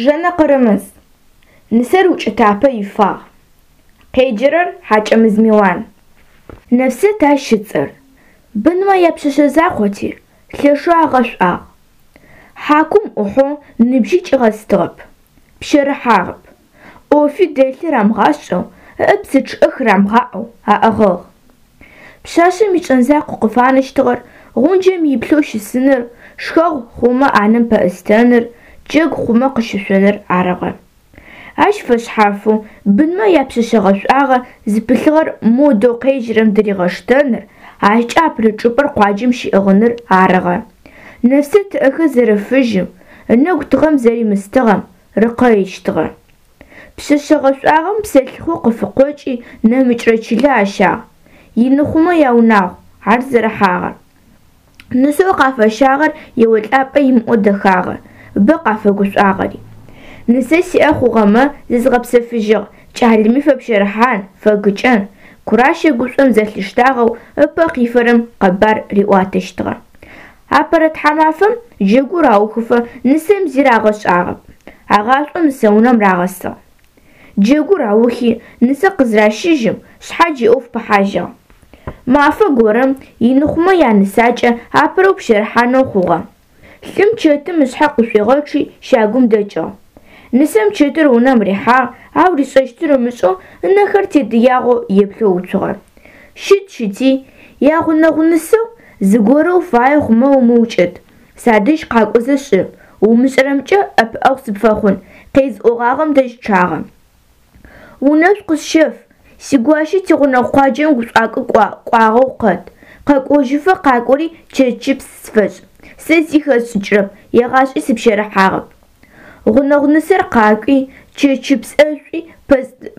Жэнэ Къырымыз. Нысэр укӏытапэ ифагъ. Къеджэрэр Хьакӏэмыз Милан. Нэфсэт ащ ыцӏэр. Бынмэ япшъэшъэ закъоти, лъэшэу агъэшӏуагъ. Хьакум ӏухьэу ныбжьи кӏигъэстыгъэп, пщэрыхьагъэп. ӏофи дэлъи рамыгъашӏэу, ыӏэ псы чъыӏэ хырамыгъаӏэу аӏыгъыгъ. Пшъашъэм ишӏэн закъу къыфанэщтыгъэр гъунджэм иплъэу щысыныр, шхэгъу хъумэ ӏанэм пэӏустэныр, джэгу хъумэ къыщышъоныр арыгъэ. Ащ фэшъхьафэу бынмэ япшъэшъэ гъэшӏуагъэ зыпылъыгъэр модэу къежьэрэм дыригъэштэныр, ащкӏэ апэрэ чӏыпӏэр къуаджэм щиӏыгъыныр арыгъэ. Нэфсэт ыӏэхэр зэрэфыжьым, ынэгу тыгъэм зэримыстыгъэм рыкъэищтыгъэ. Пшъэшъэ гъэшӏуагъэм псэлъыхъо къыфыкъокӏи нэмыкӏрэ чылэ ащагъ. Ины хъумэ яунагъу ар зэрыхьагъэр. Нысэу къафэщагъэр еолӏапӏэ имыӏэу дэхагъэ, бэ къафэгушӏуагъэри. Нысэ сиӏэ хъугъэмэ, зызгъэпсэфыжьыгъ, кӏалэми фэпщэрыхьан, фэгыкӏэн. Куращэ гушӏом зэлъиштагъэу ыпэ къифэрэм къэбар риӏуатэщтыгъэ. Апэрэ тхьамафэм джэгур аухыфэ нысэм зи рагъэшӏагъэп. Агъашӏоу нысэунэм рагъэсыгъ. Джэгур аухи, нысэ къызращыжьым, шъхьадж иӏоф пыхьажьыгъ. Мафэ горэм ины хъумэ янысакӏэ апэрэу пщэрыхьанэу хъугъэ. Лӏым чэтым ышъхьэ къышӏуигъэчъи щагум дэкӏыгъ. Нысэм чэтыр унэм рихьагъ, ау ришӏэщтыр ымышӏэу ынэхэр тедыягъэу еплъэу уцугъэ. Щыт-щыти, ягъунэгъу нысэу, зыгорэу фае хъумэ умыукӏыт, садэжь къакӏозэ шӏы, умышӏэрэмкӏэ ӏэпыӏэгъу сыпфэхъун, къезыӏогъагъэм дэжь чъагъэ. Унэшӏу къысщэф, сигуащэ тигъунэгъу къуаджэм гушӏуакӏо кӏуагъэу къэт, къэкӏожьыфэ къакӏори чэтщыпс сфэшӏ, сэ зи хэсшӏыкӏырэп, егъашӏи сыпщэрыхьагъэп. Гъунэгъу нысэр къакӏуи, чэтщыпс ӏэшӏуи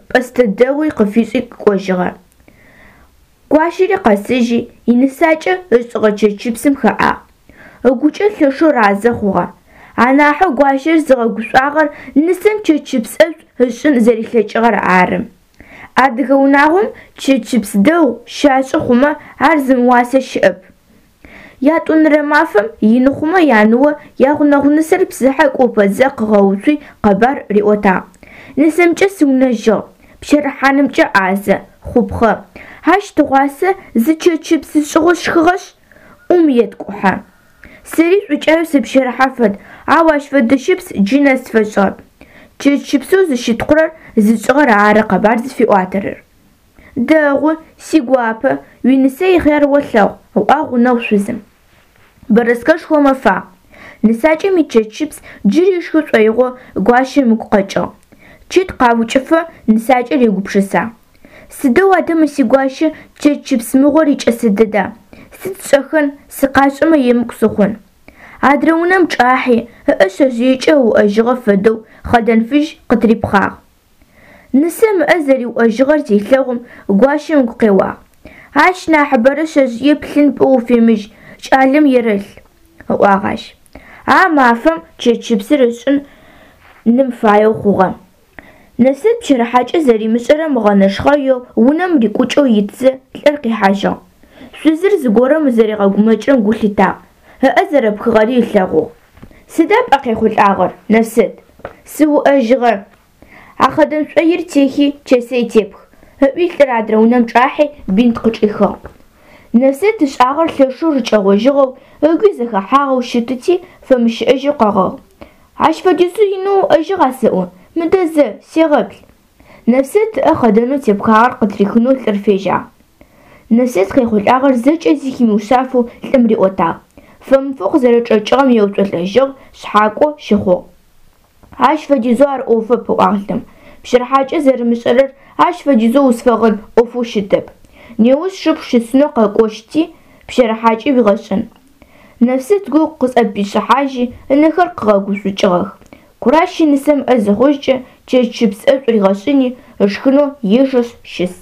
пӏэстэ дэгъуи къыфишӏи кӏожьыгъэ. Гуащэри къэсыжьи, инысакӏэ ышӏыгъэ чэтщыпсым хэӏагъ. Ыгукӏэ лъэшэу разэ хъугъэ. Анахьэу гуащэр зыгъэгушӏуагъэр нысэм чэтщыпс ӏэшӏу ышӏын зэрилъэкӏыгъэр ары. Адыгэ унагъом чэтщыпс дэгъу щашӏы хъумэ ар зымыуасэ щыӏэп. Ятӏонэрэ мафэм ины хъумэ яныо ягъунэгъу нысэр псыхьэ кӏо пэтзэ къыгъэуцуи къэбар риӏотагъ. Нысэмкӏэ сыунэжьыгъ, пщэрыхьанымкӏэ ӏазэ, хъупхъэ. Ащ тыгъуасэ зы чэтщыпс ышӏыгъэу сшхыгъэшъ, ӏум еткӏухьэ. Сэри шӏукӏаеу сыпщэрыхьэ фэд, ау ащ фэдэ щыпс джы нэс сфэшӏыгъэп. Чэтщыпсэу зыщытхъурэр зышӏыгъэр ары къэбар зыфиӏуатэрэр. Дэгъу, сигуапэ, уинысэ ихъяр олъэгъу, ыӏуагъ гъунэгъу шъузым. Бэрэскэшхо мэфагъ. Нысакӏэм ичэтщыпс джыри ышхы шӏоигъоу гуащэм ыгу къэкӏыгъ. Чэт къаукӏыфэ нысакӏэр егупшысагъ. Сыдэу адэ мы сигуащэ чэтщыпс мыгъор икӏэсэ дэда? Сыд сшӏэхэн, сыкъашӏэмэ емыкӏу сыхъун. Адрэ унэм чӏахьи, ыӏэ шъэжъыекӏэ ыуӏэжьыгъэ фэдэу хъэдэн фыжь къытырипхъагъ. Нысэм ыӏэ зэриуӏэжьыгъэр зелъэгъум, гуащэм ыгу къеуагъ. Ащ нахьыбэрэ шъэжъые плъын пӏоу уфемыжь, кӏалэм ерэлъ, ыӏуагъ ащ. А мафэм чэтщыпсыр ышӏын ным фаеу хъугъэ. Нэфсэт пщэрыхьакӏэ зэримышӏэрэм ыгъэнэшхъэеу унэм рикӏукӏэу итзэ, лӏыр къихьажьыгъ. Шъузыр зыгорэм зэригъэгумэкӏырэм гу лъитагъ, ыӏэ зэрэпхыгъэри ылъэгъугъ. Сыда пӏэ къехъулӏагъэр, Нэфсэт? Сыуӏэжьыгъэ. А хъэдэн шӏоир техи, чэсэй тепх, ыӏуи лӏыр адрэ унэм чӏахьи бинт къычӏихыгъ. Нэфсэт ышӏагъэр лъэшэу рыкӏэгъожьыгъэу, ыгуи зэхэхьагъэу щытыти, фэмыщыӏэжьэу къэгъыгъ. Ащ фэдизэу инэу уӏэжьыгъа сэӏо, мыдэ зэ, сегъэплъ. Нэфсэт ыӏэ хъэдэнэу тепхагъэр къытрихынэу лӏыр фежьагъ. Нэфсэт къехъулӏагъэр зэкӏэ зи химыушъафэу лӏым риӏотагъ. Фэмыфэу къызэрэчӏэкӏыгъэм еуцолӏэжьыгъ, шъхьакӏо щыхъугъ. Ащ фэдизэу ар ӏофэп, ыӏуагъ лӏым. Пщэрыхьакӏэ зэрымышӏэрэр ащ фэдизэу узфэгъын ӏофэу щытэп. Неущ сшыпхъу щысынэу къэкӏощти, пщэрыхьакӏи уигъэшӏын. Нэфсэт гу къызӏэпишӏыхьажьи, ынэхэр къыгъэгушӏукӏыгъэх. Куращи нысэм ӏэ зыхъужькӏэ, чэтщыпс ӏэшӏу ригъэшӏыни, ышхынэу ежэшъ щыс.